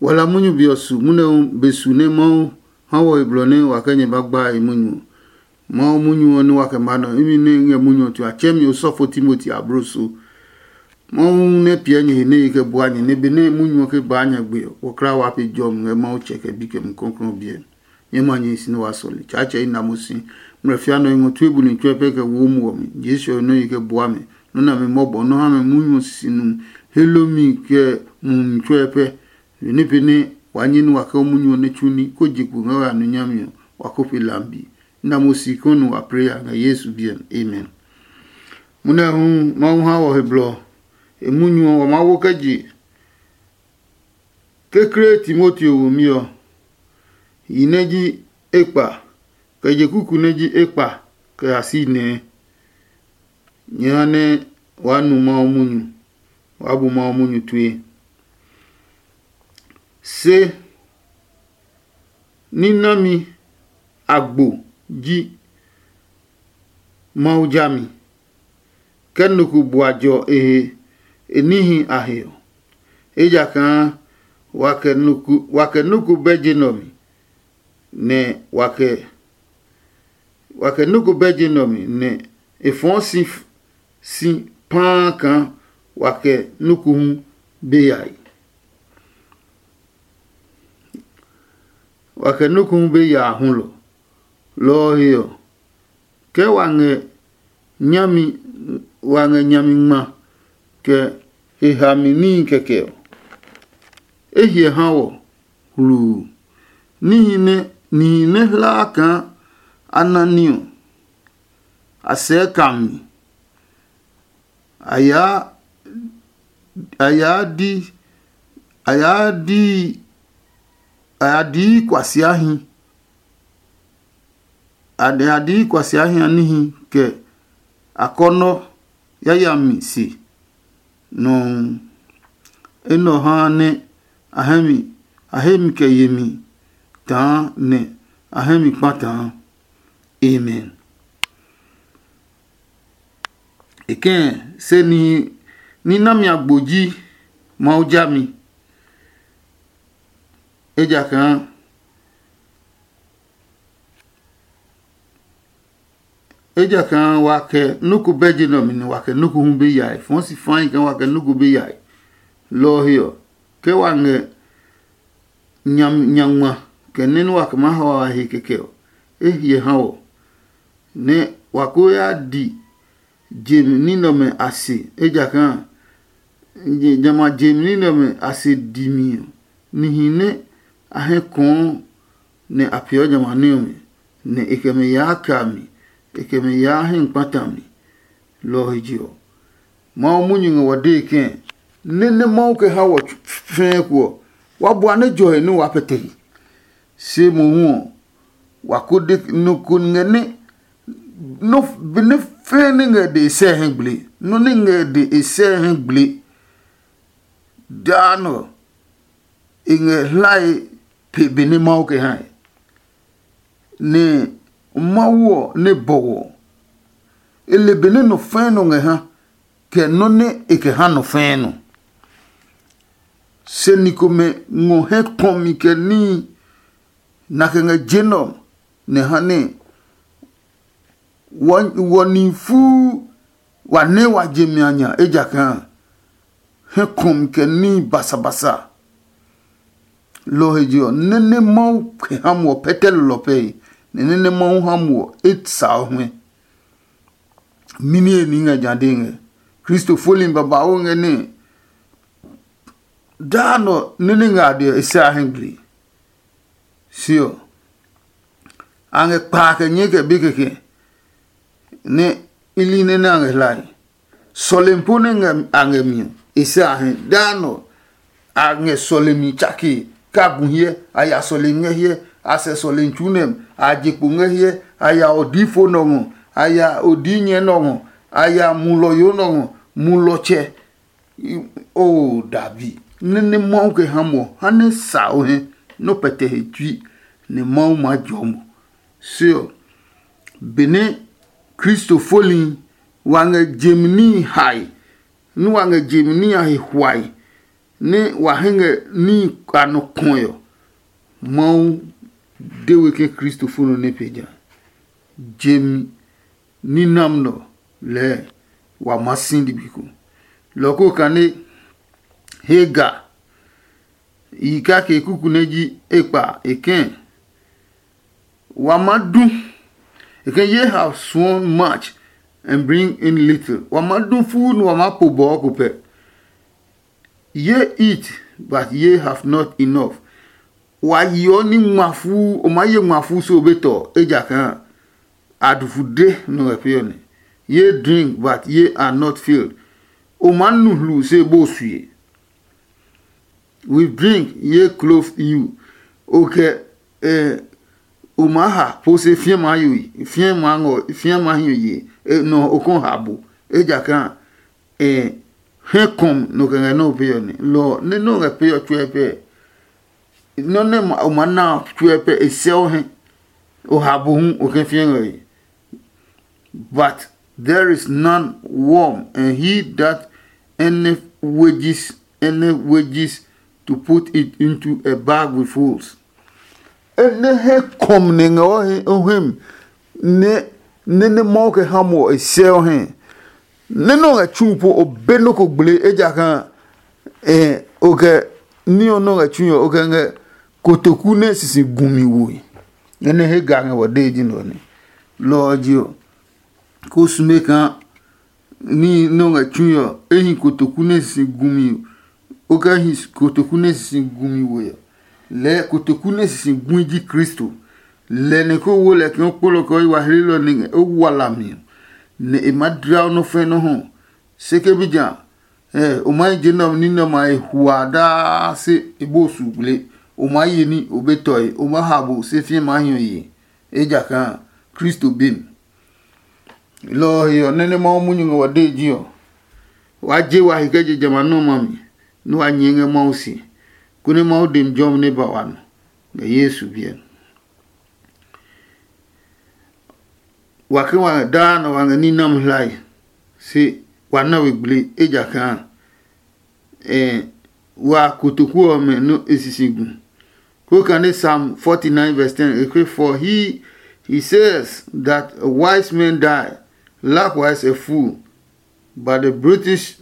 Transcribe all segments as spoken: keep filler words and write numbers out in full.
Wa la munyu be ɔ su, munyu ɔ be su nɛ Mawu ha wɔ he blɔ nɛ wa kɛ nyɛ ba gba e munyu ɔ. Mawu munyu ɔ nɛ wa kɛ ma nɔ imi nɛ ngɛ munyu ɔ tue a tsɛɛ mi osɔfo Timoti abloso. Mawu nɛ piɛ nyɛ he nɛ e kɛ bua nyɛ, nɛ benɛ munyu ɔ ke baa nyɛ gbe ɔ, wɔ kla wa pe jɔmi ngɛ Mawu tsɛ kɛ bi kɛ Mumi Klɔuklɔu ɔ biɛ. Nyɛ ma nyɛ si nɛ wa sɔle. Tsaatsɛ i na mo si. Mlɛ fia nɔ i ngɔ tue buli tsuɛ pɛ kɛ wo muɔ mi. Jesu ɔ nɔ yi kɛ bua mɛ. Nɔ́ nɛ a mi mɔbɔ nɔ́ ha mɛ munyu ɔ sisi nu, helomi kɛ mumi tsuɛ pɛ. Yo ní pɛ nɛ wa nyɛ ní wa kɛ munyu ɔ nɛ tsu ní, kó je kpo ngɛ wa nu nyami ɔ, wa ko pe lambi. I na mo si kɔnu wa pre ya ngɛ Yesu biɛ mi. Amen. Munɛ hu Mawu ha wɔ he blɔ. E munyu ɔ wa Mawu kɛ je. Kekle Timoteo womi ɔ, yi nɛ ji ekpa, kɛ je kuku nɛ ji ekpa kɛ ya si nɛɛ. Nyɛ ha nɛ waa nu Mawu munyu, waa bu Mawu munyu tue. Se ní nami agbo ji Mawu jami, kɛ nɔ ko bua jɔ e he e níhi a he ɔ. Ejakaa wa kɛ nɔ ko bɛ je nɛ ɔ mi, nɛ wa kɛ wa kɛ nɔ ko bɛ je nɛ ɔ mi, nɛ e fɔɔ si si paa kaa wa kɛ nɔ ko hu be yae. Wa kɛ nɔ ko hu be yaa hulɔ. Lɔ ɔ he ɔ, ke wa ngɛ nyami wa ngɛ nyami ngma kɛ e hami níhi kɛkɛ ɔ, e hyɛ ha wɔ hluu. Níhi nɛ nihi nɛ hlaa kaa a na ní ɔ, a sɛɛ ka mi. A yaa a yaa di a yaa di a ya dii kuasiahi. A ya dii kuasiahi a níhi kɛ akɔnɔ yayami se nɔuu. Enɛ ɔ haa nɛ a hɛ mi a he mi kɛ yemi taa nɛ a hɛ mi kpataa. Amen. E kɛ̃ se nihi ní nami agbo ji Mawu jami, ejakaa ejakaa wa kɛ nɔ́ ko bɛ je nɛ ɔ mi nɛ wa kɛ nɔ́ ko hu be yae. Fɔɔ si fai kaa wa kɛ nɔ́ ko be yae. Lɔ ɔ he ɔ, ke wa ngɛ nyangma kɛ nɛ nɛ wa kɛ maa ha wa he kɛkɛ ɔ, e hyɛ ha wɔ, nɛ wa ko ya di je ní nɛ ɔmɛ a se, ejakaa jamɛ a je ní nɛ ɔmɛ a se di mi ɔ, nihi nɛ a hɛ kɔɔ nɛ a peeɔ jamɛ a ní ɔmɛ, nɛ e kɛ mɛ yaa kɛ a mi, e kɛ mɛ yaa hɛ kpata mi. Lɔ ɔ he je ɔ, Mawu munyu ngɛ wɔ dee kɛ̃ nɛ nɛ Mawu kɛ ha wɔ fɛɛ ko ɔ, wa bua nɛ jɔ he nɛ waa pɛtɛ he. Se mohu ɔ, wa ko de nɔ ko ngɛ nɛ nɔ benɛ fɛɛ nɛ ngɛ de e sɛ hɛ gble. Nɔ nɛ ngɛ de e sɛ hɛ gble daa nɔ e ngɛ hlae pe benɛ Mawu kɛ hae. Nɛ Mawu ɔ nɛ bɔwɔ ɔ, e le benɛ nɔ fɛɛ nɔ ngɛ ha, kɛ nɔ́ nɛ e kɛ ha nɔ fɛɛ nɔ. Se ni komɛ ngɔ hɛ kpɔmi kɛ níhi na kɛ ngɛ je nɛ ɔ, nɛ ha nɛ wɔ nihi fuu wa nɛ wa je mi a nya, ejakaa hɛ kɔmi kɛ níhi basabasa. Lɔ ɔ he je ɔ, nɛ́ nɛ Mawu kɛ ha muɔ pɛtɛ lɔlɔ pɛe, nɛ nɛ́ nɛ Mawu ha muɔ e sa ɔ huɛ. Mɛni he ní ngɛ ja dee ngɛ? Kristofoli babauu ngɛ nɛ daa nɔ nɛ nɛ ngɛ a dɛ ɔ, e sɛ a hɛ gble. Se ɔ, a ngɛ kpaa kɛ nyɛɛ kɛ be kɛkɛ nɛ i li nɛ nɛ a ngɛ hlae. Sɔlemi po nɛ ngɛ a ngɛ mi ɔ, e sɛ a hɛ. Daa nɔ a ngɛ sɔlemi tsake, kɛ a gu hyɛ, a ya sɔlemi ngɛ hyɛ, a sɛ sɔlemi tsu nɛ a je kpo ngɛ hyɛ, a ya odii fo nɔ ngɔ, a ya odii nyɛ nɔ ngɔ, a ya mulɔyo nɔ ngɔ, mulɔtsɛ. Oo, dabi nɛ nɛ Mawu kɛ ha mo ha nɛ sa o hɛ nɔ pɛtɛ he tsui, nɛ Mawu maa jɔ mo. Se ɔ, benɛ Kristo foli wa ngɛ jemi níhi hae, nú wa ngɛ jemi níhi a he huae, nɛ wa hɛ ngɛ níhi a nɔ kɔe ɔ, Mawu de we ke Kristo fo nɔ nɛ pe ja. Jemi ní nam nɔ lɛɛ wa maa si ligbi ko. Lɔ ko kane Hagar yi kake kuku nɛ ji ekpa e kɛ̃, wa maa du. E kɛ̃, ye have sworn much and bring in little. Wa maa du fuu nɛ wa maa po bɔɔ ko pɛ. Ye eat, but ye have not enough. Wa yeɔ ní ngma fuu, o maa ye ngma fuu se o be tɔ, ejakaa adufude nɔ ngɛ pee ɔ nɛ. Ye drink, but ye are not filled. O maa nu hlu se bo sue. We drink, ye clothe you. O kɛ eh, o maa ha po se fiɛ maa yo, fiɛ maa ngɔ, fiɛ maa hiɔ ye. Eh, nɔ o kɔn ha bo, ejakaa eh, hɛ kɔm nɔ kɛ ngɛ nɔ o pee ɔ nɛ. Lɔ nɛ nɔ ngɛ pee ɔ tsuɛ pɛ. Nɔ nɛ ma- o ma na tsuɛ pɛ e sɛ o hɛ. O ha bo hu o kɛ fiɛ ngɛ ye. But there is none warm, and he that any wages any wages to put it into a bag with holes. Enɛ hɛ kɔm nɛ ngɛ o hɛ o hɛ mi nɛ nɛ nɛ Mawu kɛ ha mo ɔ e sɛ o hɛ. Nɛ nɔ ngɛ tsu po o be nɔ ko gble, ejakaa eh, o kɛ ní ɔ nɔ ngɛ tsu ɔ o kɛ ngɛ kotoku nɛ sisi gumi woe. Enɛ he ga ngɛ wɔ dee ji nɔ nɛ. Lɔ ɔ ji ɔ, ko sume kaa ní nɛ o ngɛ tsui ɔ, e hi kotoku nɛ sisi gumi, o kɛ hi kotoku nɛ sisi gumi we ɔ. Lɛɛ kotoku nɛ sisi gui ji Kristo. Lɛ nɛ ko wo lɛ kaa o kpolɔ kɛ o yi wa hlelɔ nɛ o wa lami ɔ, nɛ e maa dla o nɔ́ fɛnɔ hɔ. Se ke bi ja, ɛ o maa je nɛ ɔ ní nɛ ɔmɛ a e hua daa se e bo su gble. O maa ye ní o be tɔe, o maa ha bo se fie maa hiɔ ye, ejakaa Kristo be mi. Lɔ ɔ he ɔ, nɛ nɛ Mawu munyu ngɛ wa dee ji ɔ, waa je wa he kɛ je jamɛ a nɔmlɔ a mi, nɛ wa nyɛɛ ngɛ Mawu se, konɛ Mawu demi jɔmi nɛ ba wa nɔ ngɛ Yesu biɛ mi. Wa ke wa ngɛ daa nɛ wa ngɛ ní nami hlae, se wa na we gble, ejakaa eh, wa kotoku ɔmɛ nɔ e sisi gu. Ko kane Psalm forty-nine verse ten, e ke, "For he, he says that a wise man die, likewise a fool, but the brutish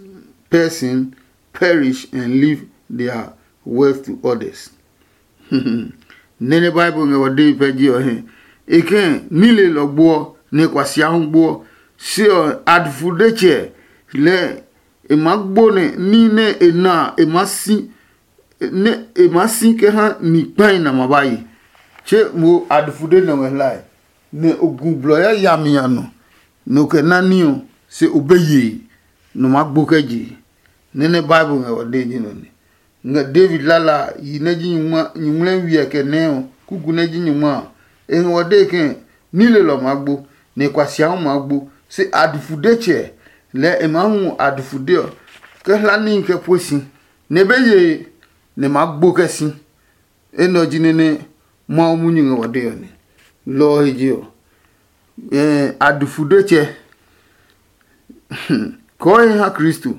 person perish and leave their wealth to others." Nɛnɛ Bible ngɛ wɔ dee pɛ ji ɔ hɛ. E kɛ̃ ní lelɔ gboɔ, nɛ e kua sia hu gboɔ. Se ɔ, adufudetsɛ lɛ e maa gbo nɛ ní nɛ e na a, e maa si nɛ e maa si kɛ ha ni kpahi nɛ a ma ba ye. Tse mo adufude nɛ ngɛ hlae, nɛ o gu blɔ yayami a nɔ, nɛ o kɛ na ní ɔ, se o be yee, nɔ maa gbo kɛ je. Nɛnɛ Bible ngɛ wɔ dee ji nɔ nɛ. Ngɛ David lala a, yi nɛ ji nyuŋmla wiɛ kɛ nɛɛ ɔ, kuku nɛ ji nyuŋma a, e ngɛ wɔ dee ke ní lelɔ maa gbo, nɛ e kua siahu maa gbo. Se adufudetsɛ lɛɛ e maa hu adufudɛ ɔ, kɛ hla níhi kɛ pue si, nɛ e be yee, nɛ e maa gbo kɛ si. Enɛ ɔ ji nɛ nɛ Mawu munyu ngɛ wɔ dee ɔ nɛ. Lɔ ɔ he je ɔ, adufudetsɛ kɔɔhi ha Kristo,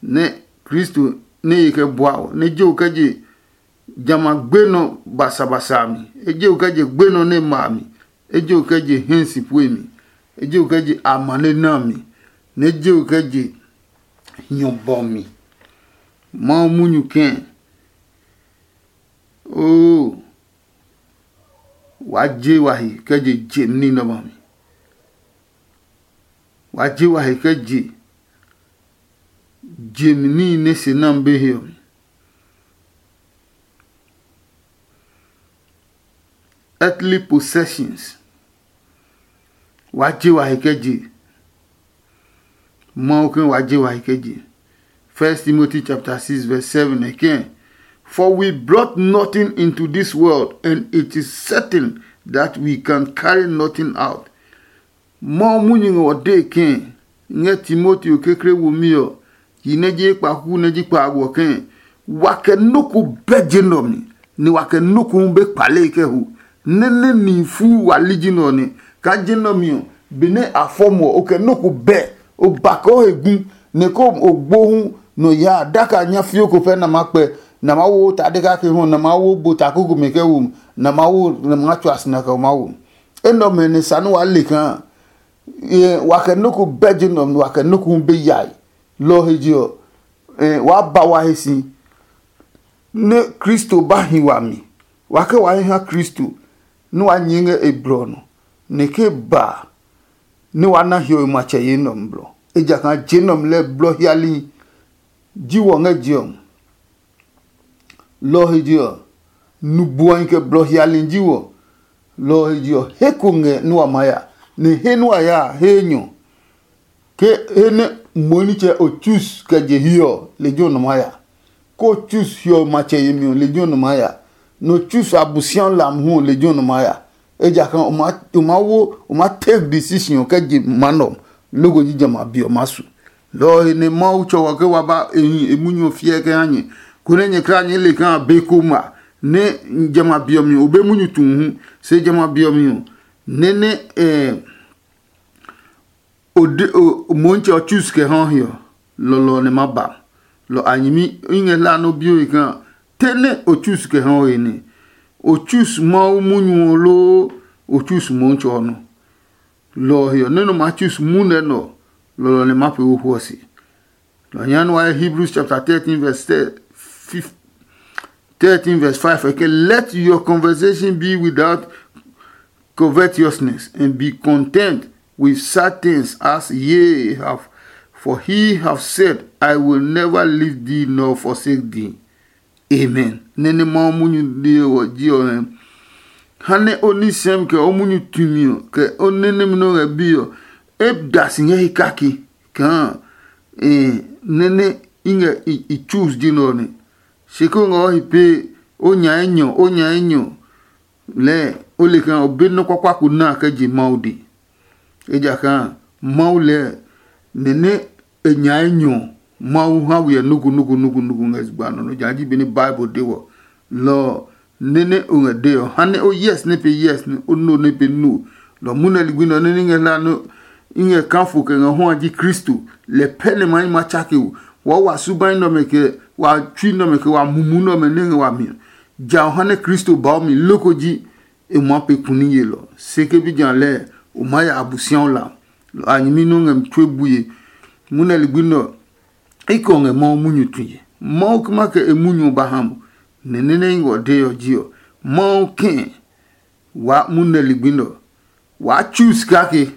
nɛ Kristo nɛ ye kɛ bua ɔ, nɛ je o kɛ je jamɛ a gbenɔ basabasa a mi. E je o kɛ je gbenɔ nɛ ma a mi. E je o kɛ je hɛ si pue mi. E je o kɛ je amane na a mi. Nɛ e je o kɛ je hiɔ bɔ mi. Mawu munyu kɛ̃. Oo, wa je wa he kɛ je je ní nɛ ɔmɛ a mi. Wa je wa he kɛ je je mi níhi nɛ se nami be he ɔ mi. Earthly possessions. Wa je wa he kɛ je. Mawu ke wa je wa he kɛ je. First Timothy chapter six verse seven again. For we brought nothing into this world, and it is certain that we can carry nothing out. Mawu munyu ngɛ wɔ dee ke ngɛ Timoteo kekle womi ɔ, yi nɛ ji ekpaku nɛ ji kpaago ɔ ke wa kɛ nɔ́ ko bɛ je nɛ ɔ mi, nɛ wa kɛ nɔ́ ko hu be kpale kɛ ho. Nɛ́ nɛ nihi fuu wa li ji nɛ ɔ nɛ kaa je nɛ ɔ mi ɔ, benɛ a fɔ mo ɔ, o kɛ nɔ́ ko bɛ, o ba kɛ o he gu, nɛ ko o gbo hu nɔ ya daka nya fio ko pɛ na ma kpɛ, na ma wo ta de kake ho, na ma wo bo ta kuku mi kɛ wo, na ma wo na ma tswa sina kɛ ma wo. Enɔ mɛ ne sa nu wa le kan. Wa kɛ nuku bɛ je nɔ, wa kɛ nuku be yae. Lɔ he je ɔ, wa ba wa he si. Ne Kristo ba hi wami, wa ke wa he ha Kristo, ne wa nyɛɛ ngɛ e blɔ ɔ nɔ, nɛ ke ba ne wa na hiɔwe matsɛ ye nɔmlɔ. Ejakaa je nɔmlɔ lɛ blɔ hiali ji wɔ ngɛ je ɔ. Lɔ ɔ he je ɔ, nu buɔhi kɛ blɔ hiali ji wɔ. Lɔ ɔ he je ɔ, he ko ngɛ nɛ wa maa ya, nɛ he nɛ wa ya a, he enyɔ. Ke he nɛ mo nitsɛ o chus kɛ je hiɛ ɔ, lejɛ ɔ nɔ maa ya. Ke o chus hiɔwe matsɛ yemi ɔ, lejɛ ɔ nɔ maa ya. Nɛ o chus Abosiami lam hu ɔ, lejɛ ɔ nɔ maa ya. Ejakaa o maa wo, o maa take decision ɔ kɛ je ma nɔ, loko ji jamɛ a be ɔ maa su. Lɔ ɔ he nɛ Mawu tsɔ wɔ ke wa ba e hi e munyu ɔ fiɛ kɛ ha nyɛ, konɛ nyɛ kla nyɛɛ le kaa be ko ma nɛ jamɛ a be ɔ mi ɔ, o be munyu tu hu. Se jamɛ a be ɔ mi ɔ, nɛ nɛ o de o Motsɛ ɔ chus kɛ ha he ɔ, lɔlɔ ɔ nɛ ma ba. Lɔ a nyɛmi i ngɛ hla nɛ o bi o he kaa te nɛ o chus kɛ ha he nɛ o chus Mawu munyu ɔ loo o chus Motsɛ ɔ nɔ. Lɔ ɔ he ɔ, nɔ́ nɛ o maa tsu munɛ nɛ ɔ, lɔlɔ nɛ ma pee wo hwɔ se. Lɔ nya nɛ wa Hebrews chapter thirteen verse thirteen verse five, e ke, "Let your conversation be without covetousness, and be content with such things as ye have, for he have said, I will never leave thee nor forsake thee." Amen. Nene Mawu munyu de ɔ ji ɔ hɛ. Ha nɛ o nisɛmi kɛ o munyu tumi ɔ kɛ o nene nɛ o ngɛ bi ɔ, e da si ngɛ he kake kaa nene i ngɛ i choose ji nɛ ɔ nɛ. Se ko ngɛ o he pee, o nya enyɔ, o nya enyɔ lɛɛ o le kaa o be nɔ́ kpakpa ko na kɛ je Mawu de. Ejakaa Mawu lɛɛ nɛ nɛ e nya enyɔ Mawu ha we ɛ nuku nuku nuku nuku ngɛ zugba nɔ nɔ ja ji be nɛ Bible de wɔ. Lɔ ɔ, nɛ nɛ o ngɛ de ɔ, ha nɛ o yes nɛ pe yes, nɛ o no nɛ pe no. Lɔ munɛ ligbi nɔ nɛ ní ngɛ hla nɔ i ngɛ kafo kɛ ngɛ hu a ji Kristo. Lɛ pɛ nɛ ma yi ma tsake o. Wa wa subai nɔmɛ kɛ wa tsui nɔmɛ kɛ wa mumu nɔmɛ nɛ ngɛ wa mi. Ja o ha nɛ Kristo ba o mi loko ji e ma pe kuni yelɔ. Se ke bi ja lɛɛ o ma ya Abosiaɔ la. Lɔ a nyɛmi nɔ ngɛ mi tue buye. Munɛ ligbi nɔ, i kɔ ngɛ Mawu munyu tue. Mawu kuma kɛ e munyu ba ha mo. Nɛ nɛ nɛ i ngɔ de ɔ ji ɔ, Mawu kɛ wa munɛ ligbi nɔ. Wa choose kake.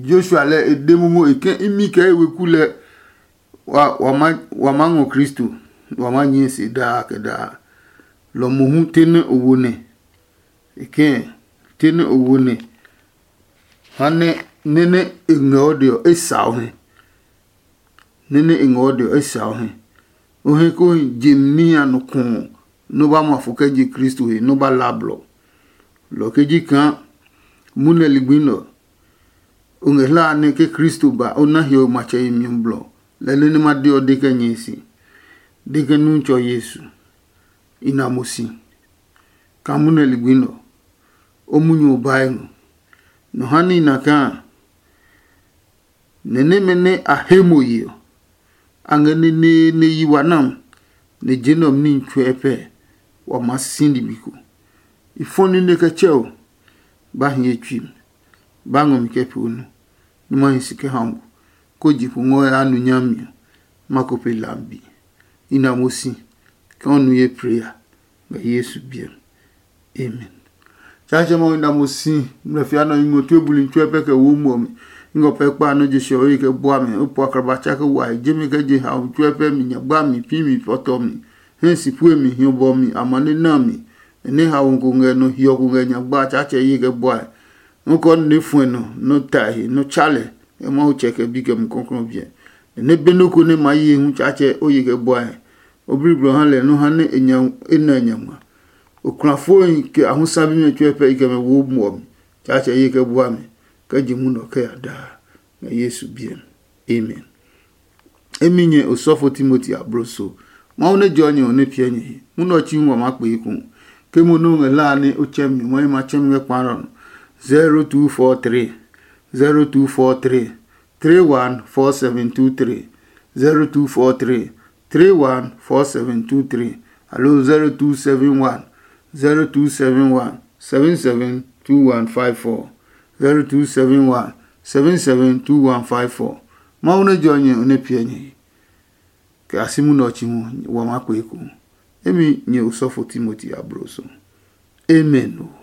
Joshua lɛ e de momo e kɛ imi kɛ e weku lɛ wa wa ma wa ma ngɔ Kristo, wa ma nyɛ se daa kɛ daa. Lɔ mohu te nɛ o wo nɛ. E kɛ te nɛ o wo nɛ. Ha nɛ nɛ nɛ e ngɛ o de ɔ e sa o hɛ. Nɛ nɛ e ngɛ o de ɔ e sa o hɛ. O hɛ ko je mi a nɔ kɔɔ nɔ ba ma fo kɛ je Kristo he nɔ ba la blɔ. Lɔ ke ji kaa munɛ ligbi nɔ. O ngɛ hla nɛ ke Kristo ba o na hiɔwe matsɛ yemi ɔ blɔ. Lɛ nɛ nɛ ma de ɔ de kɛ nyɛ si. De kɛ nu tsɔ Yesu. I na mo si. Ka munɛ ligbi nɔ. O munyu ɔ bae ngɔ. Nɔ ha ní i na kaa nɛ nɛmɛ nɛ a he mo ye ɔ, a ngɛ neneene yi wa nam, nɛ je nɛ ɔ mi níhi tsuɛ pɛ wa maa si ligbi ko. I fɔ nine kɛ tsɛ o, ba hi ye tsui mi, ba ngɔ mi kɛ pee o nu, nɛ ma hi si kɛ ha mo, kó je pu ngɔ ya nu nyami ɔ, ma ko pe lambi. I na mo si, kɛ o nu ye preya ngɛ Yesu biɛ mi. Amen. Tsaatsɛ Mawu, i na mo si, ngmlɛ fia nɔ i ngɔ tue buli tsuɛ pɛ kɛ wo muɔ mi. I ngɔ pɛ kpa nɔ je sɛ o ye kɛ bua mi, o po akraba tsa kɛ wa he, je mi kɛ je haomi tsuɛ pɛ mi, nyagba mi, pi mi, fɔtɔ mi, hɛ si pue mi, hiɔ bɔ mi, amane na mi, nɛ haomi ko ngɛ nɔ hiɔ ko ngɛ nyagba, Tsaatsɛ ye kɛ bua he. Nɔ́ kɔ nɛ fuɛ nɔ, nɔ́ tae he, nɔ́ tsa lɛ, ngɛ Mawu tsɛ kɛ bi kɛ Mumi Klɔuklɔu ɔ biɛ. Nɛ be nɔ́ ko nɛ ma ye hu Tsaatsɛ o ye kɛ bua he. O bliblɔ ha lɛ nɔ́ ha nɛ e nya e na nya ngma. Oklafohi kɛ ahusa bimɛ tsuɛ pɛ i kɛ mɛ wo muɔ mi. Tsaatsɛ ye kɛ bua mi, kɛ je munɔ kɛ ya daa, ngɛ Yesu biɛ mi. Amen. Emi nyɛ osɔfo Timoti abloso. Mawu nɛ jɔ nyɛ ɔ nɛ piɛ nyɛ he. Munɔ tsi ngɔ ma kpee ku. Ke mo nɛ o ngɛ hlaa nɛ o tsɛ mi, mahi ma tsɛ mi ngɛ kpaalɔ nɔ. zero two four three, zero two four three, three one four seven two three. zero two four three three one four seven two three, aloo zero two seven one zero two seven one seven seven two one five four, zero two seven one seven seven two one five four. Mawu nɛ jɔ nyɛ nɛ piɛ nyɛ he, kɛ a si munɛ ɔ chi hu wa maa kpe ekohu. Emi nyɛ osɔfo Timoti ablo so. Amen o.